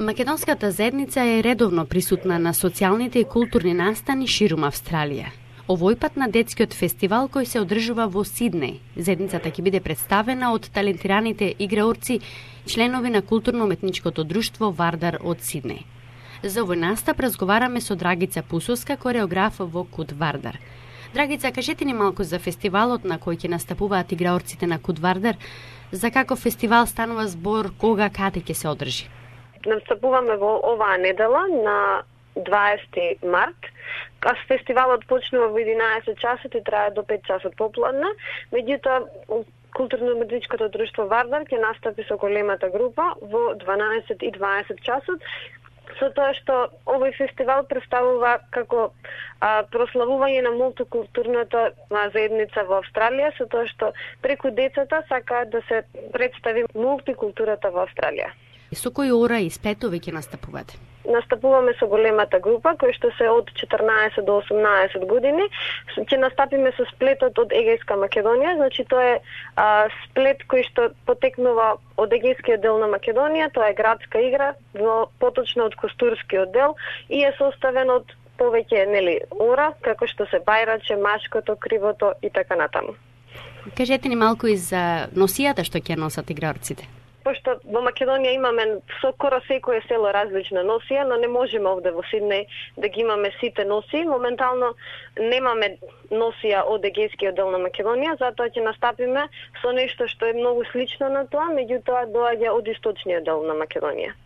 Македонската заедница е редовно присутна на социјалните и културни настани ширум Австралија. Овој пат на детскиот фестивал кој се одржува во Сиднеј. Заедницата ќе биде представена од талентираните играорци, членови на културно-уметничкото друштво Вардар од Сиднеј. За овој настап разговараме со Драгица Пусовска, кореограф во Куд Вардар. Драгица, кажете ни малку за фестивалот на кој ќе настапуваат играорците на Куд Вардар, за каков фестивал станува збор, кога, каде ќе се одржи? Настапуваме во оваа недела на 20 март. Фестивалот почнува во 11 часот и трае до 5 часот попладне. Меѓутоа, културно-уметничкото друштво Вардар ќе настапи со големата група во 12 и 20 часот, со тоа што овој фестивал представува како прославување на мултикултурната заедница во Австралија, со тоа што преку децата сакаат да се представи мултикултурата во Австралија. Со кои ора и сплетови ќе настапувате? Настапуваме со големата група, кој што се од 14 до 18 години. Ќе настапиме со сплетот од Егејска Македонија, значи тоа е сплет кој што потекнува од Егејскиот дел на Македонија, тоа е градска игра, поточно од Костурскиот дел и е составен од повеќе ора, како што се бајраче, машкото, кривото и така натаму. Кажете ни малку и за носијата што ќе носат играорците. Пошто во Македонија имаме со скоро секое село различна носија, но не можеме овде во Сиднеј да ги имаме сите носии. Моментално немаме носија од Егејскиот дел на Македонија, затоа ќе настапиме со нешто што е многу слично на тоа, меѓутоа доаѓа од источниот дел на Македонија.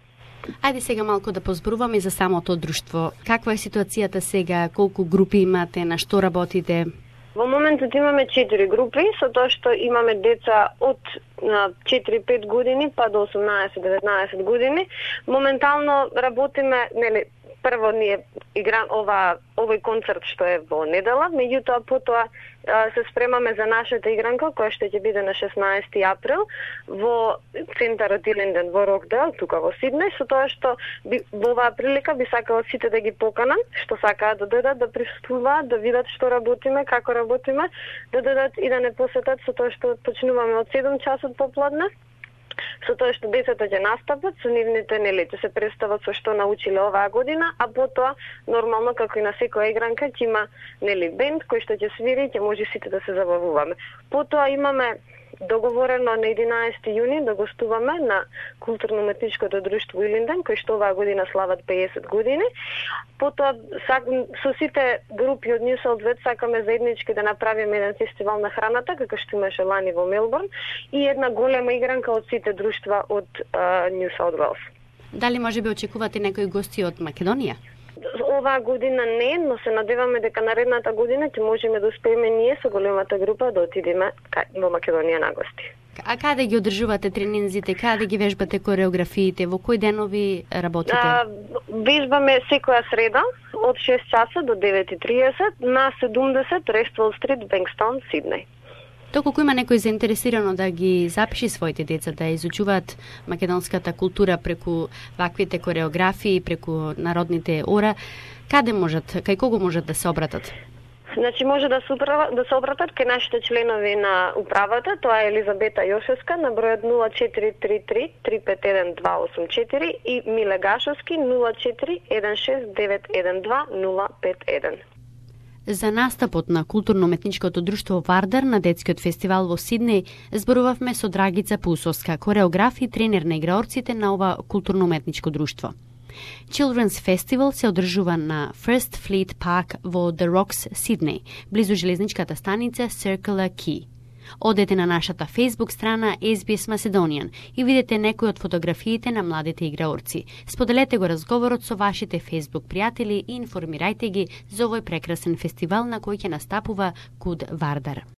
Ајде сега малку да позборуваме за самото друштво. Каква е ситуацијата сега, колку групи имате, на што работите? Во моментот имаме 4 групи, со тоа што имаме деца од 4-5 години па до 18-19 години. Моментално работиме, прво ние играм овој концерт што е во недела, меѓутоа потоа се спремаме за нашата игранка која што ќе биде на 16 април во центарот Илинден во Рокдейл, тука во Сиднеј, со тоа што во оваа прилика би сакала сите да ги поканам, што сакаат да дојдат да присуствуваат, да видат што работиме, како работиме, да дојдат и да не посетат, со тоа што почнуваме од 7 часот попладне. Со тоа што децата ќе настапат, со нивните ќе се представат со што научиле оваа година, а потоа нормално како и на секоја игранка ќе има бенд кој што ќе свири, ќе може сите да се забавуваме. Потоа имаме договорено на 11 јуни да гостуваме на културно-уметничкото друштво Илинден, кој што оваа година слават 50 години. Потоа со сите групи од Нью Саут Уелс сакаме заеднички да направиме еден фестивал на храната, како што имаше лани во Мелбурн, и една голема игранка од сите друштва од Нью Саут Уелс. Дали можеби очекувате некои гости од Македонија? Оваа година не, но се надеваме дека наредната година ќе можеме да успееме ние со големата група да отидеме во Македонија на гости. А каде ги одржувате тренинзите, каде ги вежбате кореографиите, во кои денови работите? Вежбаме секоја среда од 6 часа до 9:30 на 70 Рествол Стрит, Бенкстон, Сиднеј. Доколку има некој заинтересирано да ги запиши своите деца да изучуваат македонската култура преку ваквите кореографии, преку народните ора, каде можат, кај кого можат да се обратат? Значи може да се обратат кај нашите членови на управата, тоа е Елизабета Јошевска на бројот 0433 351 284 и Миле Гашовски 04 16912 051. За настапот на културно-уметничкото друштво Вардар на детскиот фестивал во Сиднеј зборувавме со Драгица Пусовска, кореограф и тренер на играорците на ова културно-уметничко друштво. Children's Festival се одржува на First Fleet Park во The Rocks, Сиднеј, близу железничката станица Circular Quay. Одете на нашата Facebook страна SBS Macedonian и видете некои од фотографиите на младите играорци. Споделете го разговорот со вашите Facebook пријатели и информирајте ги за овој прекрасен фестивал на кој ќе настапува Куд Вардар.